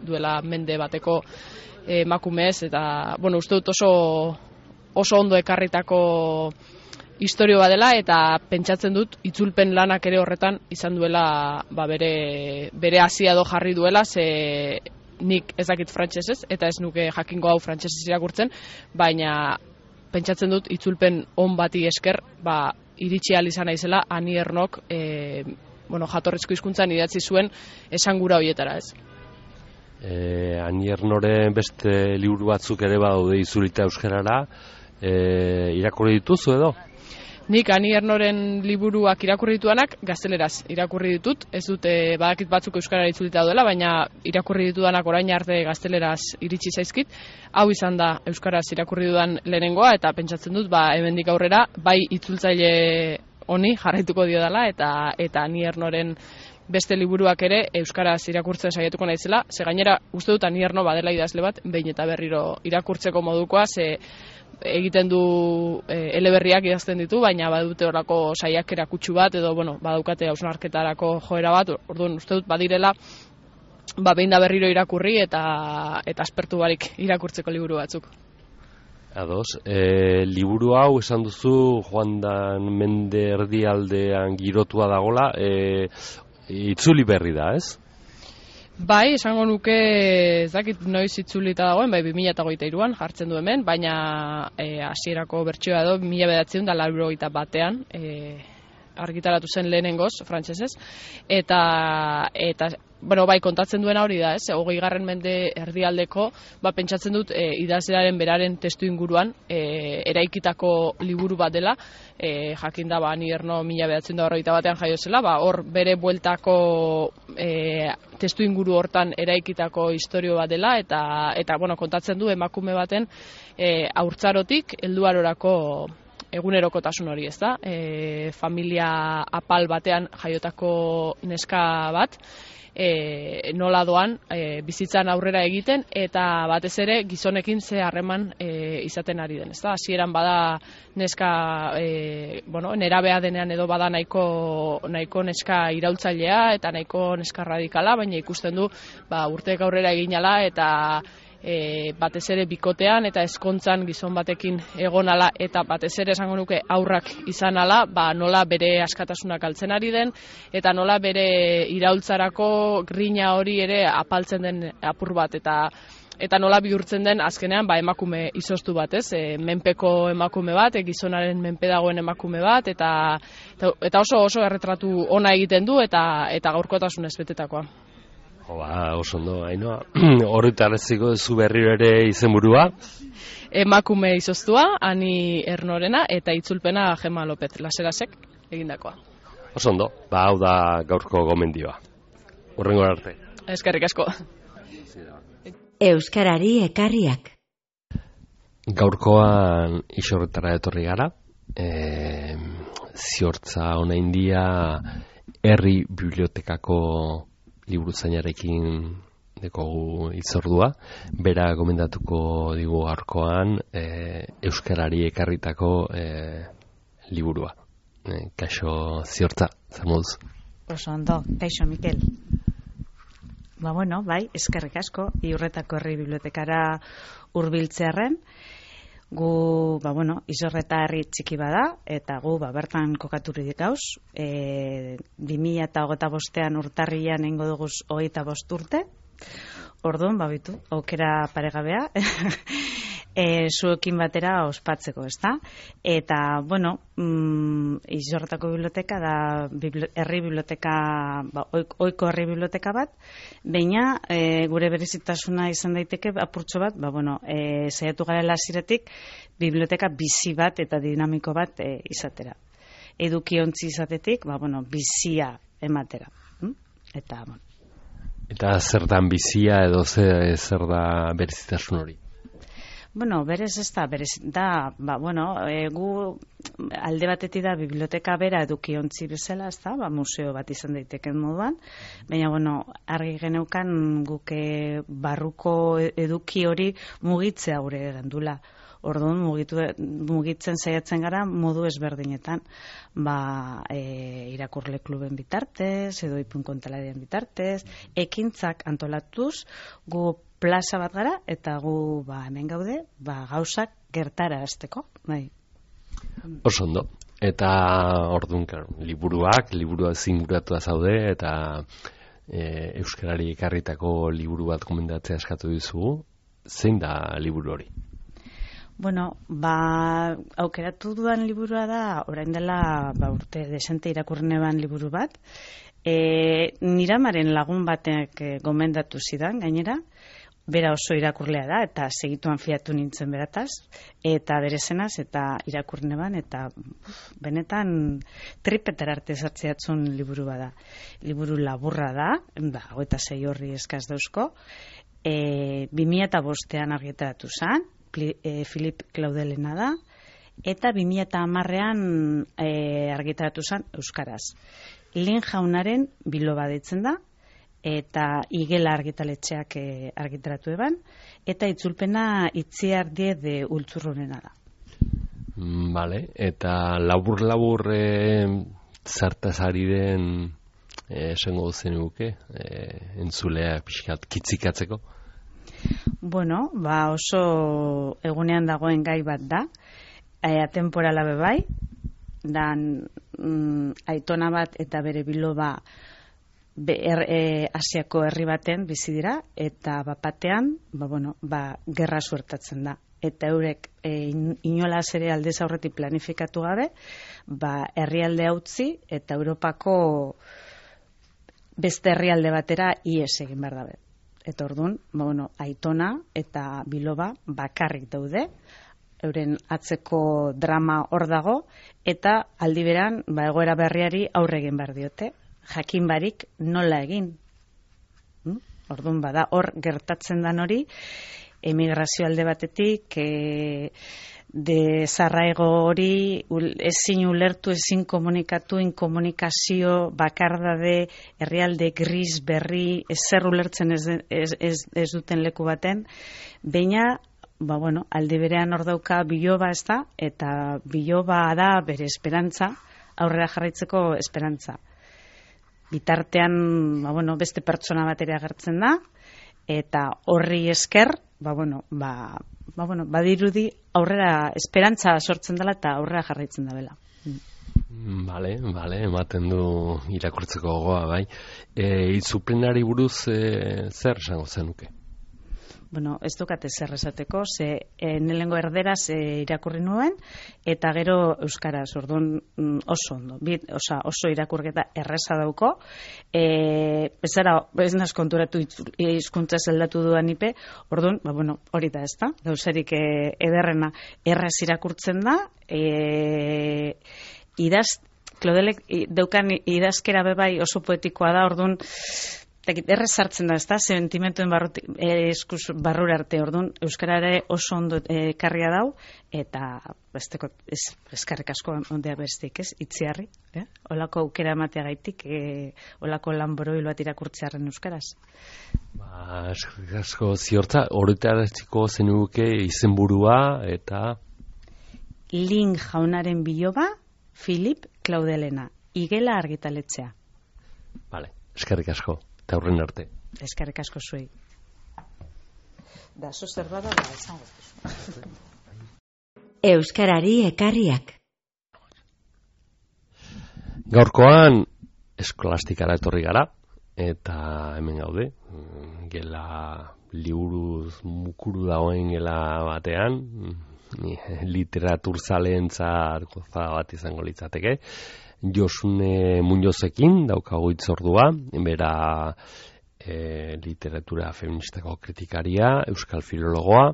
duela mende bateko emakumez, eta, bueno, uste dut oso ondo ekarritako historio badela, eta pentsatzen dut itzulpen lanak ere horretan izan duela bere hasia do jarri duela, ze nik ez dakit frantsesez, eta ez nuke jakingo hau frantsesez irakurtzen, baina pentsatzen dut itzulpen on bati esker iritsi ahal izan naizela Ani Ernok jatorrizko hizkuntzan idatzi zuen esangura horietara, ez. Ani Ernoren beste liburu batzuk ere badaude itzulita euskarara, irakurri dituzu edo? Nik Ani Ernoren liburuak irakurri ditudanak gazteleraz irakurri ditut, ez dute badakit batzuk euskarara itzulita daudela, baina irakurri ditudanak orain arte gazteleraz iritsi zaizkit. Hau izan da euskaraz irakurri dudan lehenengoa, eta pentsatzen dut hemendik aurrera bai itzultzaile honi jarraituko dio dela, eta Ani Ernoren beste liburuak ere euskaraz irakurtzen saiatuko naizela, ze gainera uste dut Ani Erno badela idazle bat behin eta berriro irakurtzeko modukoa, ze egiten du eleberriak idazten ditu, baina badute horako saiakera kutsu bat, edo badaukate hausnarketarako joera bat, orduan uste dut badirela behin da berriro irakurri eta aspertu barik irakurtzeko liburu batzuk. Ados, liburu hau esan duzu Joandan Mende erdialdean girotua dagola, itzuli berri da, ez? Bai, esango nuke ez dakit noiz itzulita dagoen, bai 2023an jartzen du hemen, baina hasierako bertsioa edo 1981an argitaratu zen lehenengoz, frantsesez, eta bueno, bai, kontatzen duena hori da, ez? 20. mende erdialdeko, pentsatzen dut idazlearen beraren testu inguruan eraikitako liburu bat dela, jakin da, ni Erno 1941an jaio zela, hor bere bueltako testu inguru hortan eraikitako istorio bat dela, eta bueno, kontatzen du emakume baten haurtzarotik helduarorako egunerokotasun hori, ez da? Familia apal batean jaiotako neska bat, nola doan bizitzan aurrera egiten, eta batez ere gizonekin ze harreman izaten ari den, ez da? Hasieran bada neska, nerabea denean edo bada nahiko neska iraultzailea eta nahiko neska radikala, baina ikusten du urteek aurrera eginala eta batez ere bikotean eta ezkontzan gizon batekin egonala eta batez ere esango nuke aurrak izanala, nola bere askatasunak galtzen ari den eta nola bere iraultzarako grina hori ere apaltzen den apur bat eta nola bihurtzen den azkenean emakume izoztu bat, ez? Menpeko emakume bat, gizonaren menpe dagoen emakume bat eta oso erretratu ona egiten du eta gaurkotasunez betetakoa. Oso ondo, Ainhoa. Horretaraziko zu berriro ere izenburua? Emakume izoztua, Ani Ernorena, eta itzulpena Gema Lopez Laserasek egindakoa. Oso ondo, hau da gaurko gomendioa. Hurrengo arte. Eskerrik asko. Euskarari ekarriak. Gaurkoan isorretara etorri gara. Ziortza honain dia herri bibliotekako liburuzainarekin dekogu itzordua. Bera gomendatuko digu gaurkoan euskarari ekarritako liburua. Kaixo Ziortza, zer moduz? Oso ondo, kaixo Mikel. Bai, eskerrik asko, Iurretako herri bibliotekara hurbiltzearren. Gu, Izorreta herri txiki bada, eta gu, bertan kokaturik gauz. 2025an urtarrian eingo duguz 25 urte. Orduan, aukera paregabea, zuekin batera ospatzeko, ezta? Eta, Izorretako biblioteka da herri biblioteka, ohiko herri biblioteka bat, baina gure berezitasuna izan daiteke apurtxo bat, saiatu garela hasieratik biblioteka bizi bat eta dinamiko bat izatera. Edukiontzi izatetik, bizia ematera. Eta zer da bizia edo zer da berezitasun hori? Berez ez da, gu alde batetik da biblioteka bera edukiontzi bezala, ez da, museo bat izan daiteken moduan, baina, argi geneukan guke barruko eduki hori mugitzea gure gendula. Orduan, mugitzen saiatzen gara modu ezberdinetan, irakurle kluben bitartez, edo ipun kontalarien bitartez, ekintzak antolatuz, gu plaza bat gara, eta gu hemen gaude, gauzak gertara hasteko. Oso ondo. Eta orduan, liburua zinguratua zaude, eta euskarari ekarritako liburu bat komendatzea eskatu dizugu. Zein da liburu hori? Aukeratu dudan liburua da, orain dela urte desente irakurneban liburu bat. Niramaren lagun batek gomendatu zidan, gainera, bera oso irakurlea da, eta segituan fiatu nintzen berataz, eta berezenaz, eta irakurneban, eta benetan tripetera arte sartzeatzun liburu bada. Liburu laburra da, 26 horri eskaz dauzko, 2005an argitaratu zen, Filip Klaudelena da, eta 2010an argitaratu zen euskaraz. Lin Jaunaren biloba deitzen da, eta Igela argitaletxeak argitaratu eban, eta itzulpena Itziar Die de Ultzurrunena da. Vale, eta labur zartaz ari den esango zen guke, entzulea pixkat kitzikatzeko? Bueno, oso egunean dagoen gai bat da, atemporala bebai, dan aitona bat eta bere biloba Asiako herri baten bizi dira, eta batean, gerra suertatzen da. Eta eurek inolaz ere aldez aurretik planifikatu gabe, herrialde utzi eta Europako beste herrialde batera ihes egin behar dabe. Eta orduan, aitona eta biloba bakarrik daude, euren atzeko drama hor dago, eta aldi beran, egoera berriari aurre egin behar diote, jakin barik nola egin. Orduan hor gertatzen dan hori, emigrazio alde batetik, desarraigo hori, ezin ulertu, ezin komunikatu, inkomunikazio, bakardade, herrialde gris, berri, ezer ulertzen ez duten leku baten, baina, aldi berean hor dauka biloba ez da, eta biloba da bere esperantza, aurrera jarraitzeko esperantza. Bitartean, beste pertsona bat ere agertzen da, eta horri esker, badirudi aurrera esperantza sortzen dela eta aurrera jarraitzen da bela. Bale, ematen du irakurtzeko gogoa, bai. Itzulpenari buruz zer esango zenuke? Ez dukate zer esateko, lehenengo erderaz irakurri nuen, eta gero euskaraz, orduan oso ondo, oso irakurketa erreza dauko, ez naz konturatu hizkuntza zeldatu duan ipe, orduan, hori da ez da, gauzarik ederrena erraz irakurtzen da, Klodelek daukan idazkera bebai oso poetikoa da, orduan, errez sartzen da, ez da, sentimentuen barrura arte, orduan, euskarare oso ondo karria dau, eta eskarrik asko ondea bestik, ez, itziarri, olako aukera ematea gaitik, olako lan borobil bat irakurtzearen euskaraz. Eskarrik asko ziortza, horretaraziko zenuke izenburua, eta... Lin jaunaren biloba, Filip Klaudelena, igela argitaletzea. Vale, eskarrik asko. Eta horren arte. Eskerrik asko zuei. Da, zerbada esango. Euskarari ekarriak. Gaurkoan eskolastikara etorri gara, eta hemen gaude, gela liburuz mukuru dagoen gela batean, literaturzaleentzat goza bat izango litzateke. Josune Muñozekin daukagu hitzordua, bera literatura feministako kritikaria, euskal filologoa,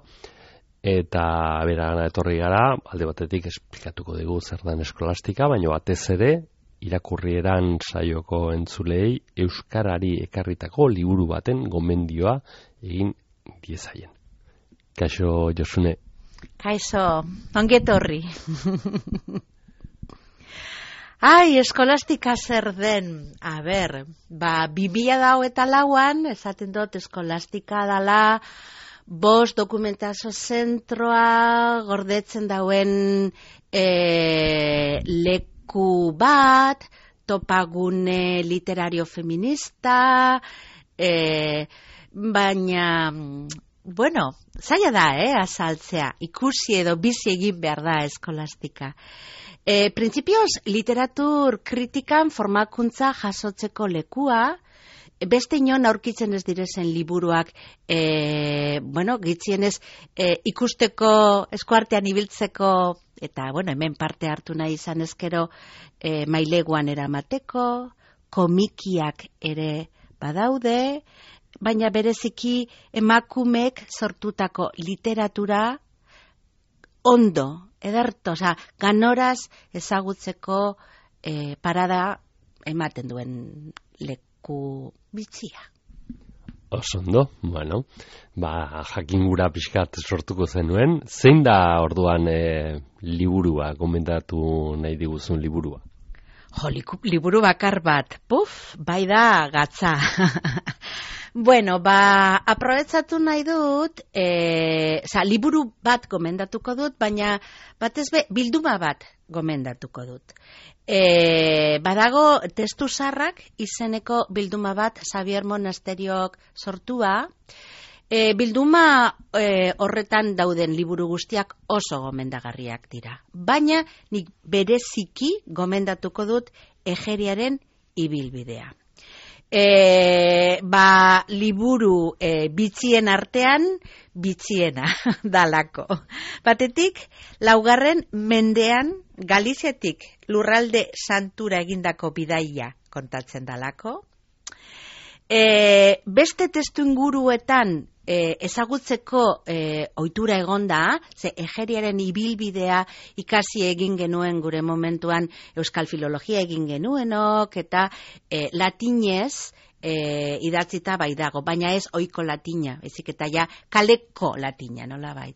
eta bera gana etorri gara, alde batetik esplikatuko dugu zer dan eskolastika, baina batez ere, irakurrieran saioko entzulei euskarari ekarritako liburu baten gomendioa egin diezaien. Kaixo, Josune. Kaixo, ongetorri. Eskolastika zer den, 2004an, esaten dut eskolastika dala, 5 dokumentazio zentroa gordetzen dauen leku bat, topagune literario feminista, baina, zaila da, azaltzea, ikusi edo bizi egin behar da eskolastika. Printzipioz, literatur kritikan formakuntza jasotzeko lekua, beste inon aurkitzen ez direzen liburuak, gitzienez ikusteko, eskuartean ibiltzeko, eta hemen parte hartu nahi izan ezkero maileguan eramateko, komikiak ere badaude, baina bereziki emakumeek sortutako literatura ondo, ederto, ganoraz ezagutzeko parada ematen duen leku bitxia. Osondo, jakin gura pixkat sortuko zenuen. Zein da orduan liburua, gomendatu nahi diguzun liburua? Liburu bakar bat, bai da gatza. Aprobetsatu nahi dut, liburu bat gomendatuko dut, baina batez bilduma bat gomendatuko dut. Badago testu zarrak izeneko bilduma bat Xavier Monasteriok sortua, Bilduma horretan dauden liburu guztiak oso gomendagarriak dira. Baina nik bereziki gomendatuko dut Egeriaren ibilbidea. Liburu bitxien artean bitxiena dalako. Batetik, 4. mendean Galiziatik lurralde santura egindako bidaia kontatzen dalako. Beste testu inguruetan ezagutzeko ohitura egonda, ze Egeriaren ibilbidea ikasi egin genuen gure momentuan euskal filologia egin genuenok, eta latinez idatzita bai dago, baina ez ohiko latina, ezik eta ja kaleko latina, nolabait.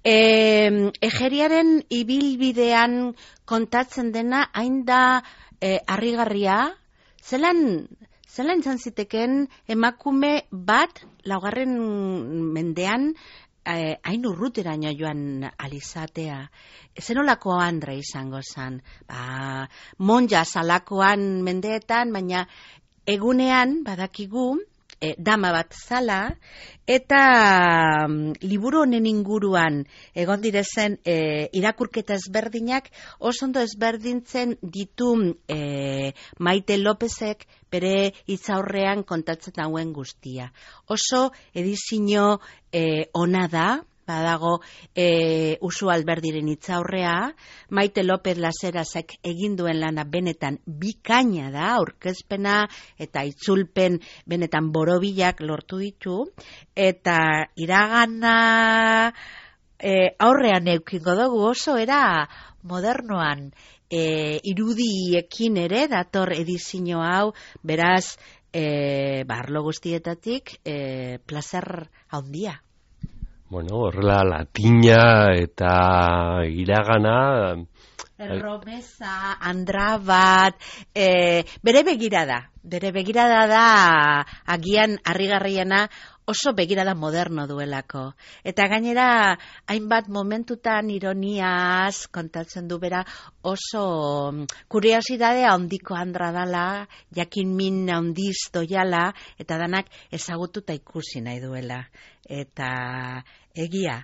Egeriaren ibilbidean kontatzen dena hain da harrigarria, zelan izan ziteken emakume bat 4. mendean hain urruteraino joan alizatea. Zenolako andre izango zen. Monja zalakoan mendeetan, baina egunean badakigu dama bat zala, eta liburu honen inguruan egon direzen irakurketa ezberdinak oso ondo ezberdintzen ditu Maite Lopezek bere hitzaurrean kontatzen dauen guztia. Oso edizio ona da, badago Usu Alberdiren hitzaurrea, Maite López Laserazek egin duen lana benetan bikaina da, aurkezpena eta itzulpen benetan borobilak lortu ditu, eta iragana aurrean eukingo dugu, oso era modernoan irudiekin ere dator edizio hau, beraz arlo guztietatik plazer handia. Bueno, horrela latina eta iragana... Erromesa, andra bat, bere begirada da agian harrigarriena oso begirada moderno duelako. Eta gainera, hainbat momentutan ironiaz kontatzen du bera oso kuriosidadea handiko andra dala, jakin min handiz doiala, eta danak ezagututa ikusi nahi duela. Eta egia,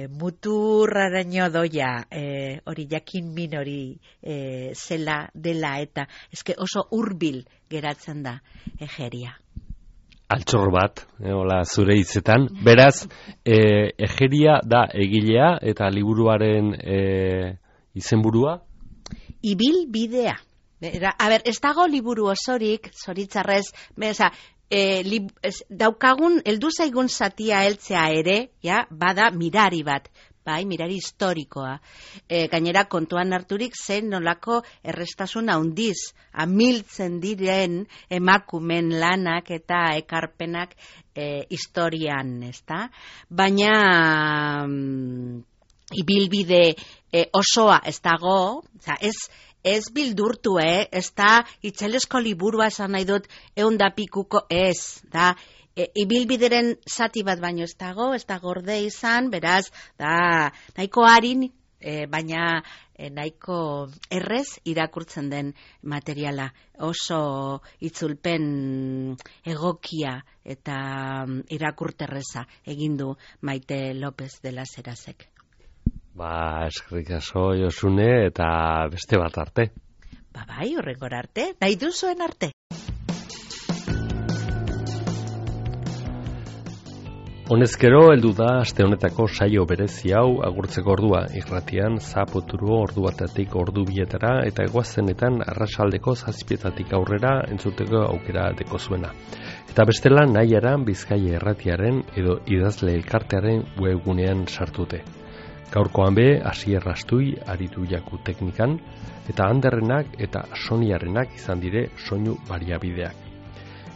muturraraino doia, hori jakin min hori zela dela, eta eske oso hurbil geratzen da Egeria. Altxor bat, hola zure hitzetan. Beraz, Egeria da egilea eta liburuaren izenburua? Ibilbidea. Ez dago liburu osorik, zoritzarrez, daukagun, heldu zaigun zatia heltzea ere, bada mirari bat. Bai, mirari historikoa. Gainera kontuan harturik zen nolako errestasun handiz, amiltzen diren emakumen lanak eta ekarpenak historian, ezta? Baina ibilbide osoa ez dago, ez bildurtu, ez da itzelesko liburua esan nahi dut 100 pikuko ez, da ibilbideren zati bat baino ez da gorde izan, beraz, da nahiko harin, baina nahiko errez irakurtzen den materiala. Oso itzulpen egokia eta irakurterreza egin du Maite López de Laserazek. Eskerrik asko Josune eta beste bat arte. Bai, horrengor arte, nahi duzuen arte. Honezkero heldu da aste honetako saio berezi hau agurtzeko ordua, irratian zapoturu ordu batatik ordu bietara eta eguaztenetan arratsaldeko 7:00 aurrera entzuteko aukera deko zuena. Eta bestela nahiaran Bizkaia Irratiaren edo idazle elkartearen webgunean sartute. Gaurkoan be, Asier Rastui aritu jaku teknikan, eta Anderrenak eta Soniarenak izan dire soinu bariabideak.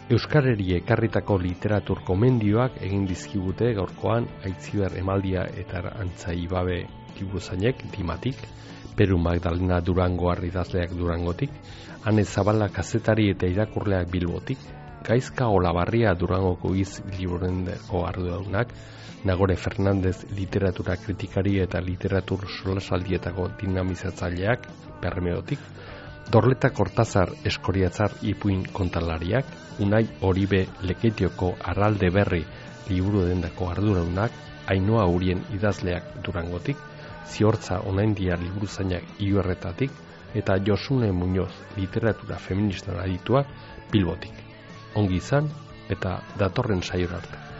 Euskarari ekarritako literatur komendioak egin dizkigute gaurkoan Aitziber Emaldia eta Antzai Babe liburuzainek Dimatik, Peru Magdalena Durango idazleak Durangotik, Ane Zabala kazetari eta irakurleak Bilbotik, Gaizka Olabarria Durangoko liburendeko arduradunak, Nagore Fernandez literatura kritikari eta literatur solasaldietako dinamizatzaileak Bermeotik, Dorleta Kortazar Eskoriatzar ipuin kontalariak, Unai Oribe Leketioko Arralde Berri liburu dendako arduradunak, Ainhoa Urien idazleak Durangotik, Ziortza Onaindia liburuzainak Iuerretatik, eta Josune Muñoz literatura feministan adituak Bilbotik. Ongi izan eta datorren saiora arte.